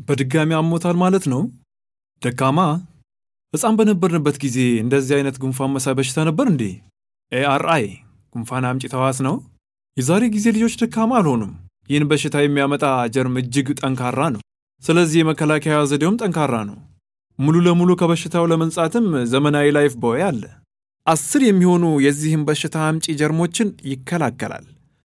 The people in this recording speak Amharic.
በድጋሚ አሞታል ማለት ነው? ደካማ ሕፃን በነበርንበት ጊዜ እንደዚህ አይነት ጉንፋን መሳይ በሽታ ነበር እንዴ? ኤአርአይ ጉንፋን አምጪ ተዋስ ነው? የዛሬ ጊዜ ልጆች ደካማ አልሆኑም። ይህን በሽታ የሚያመጣ ጀርም እጅግ ጠንካራ ነው። ስለዚህ የመከላከያ ዘዴውም ጠንካራ ነው። ሙሉ ለሙሉ ከበሽታው ለመንጻትም ዘመናዊ ላይፍ ቦይ አለ። 10 የሚሆኑ የዚህም በሽታ አምጪ ጀርሞችን ይከላከላል።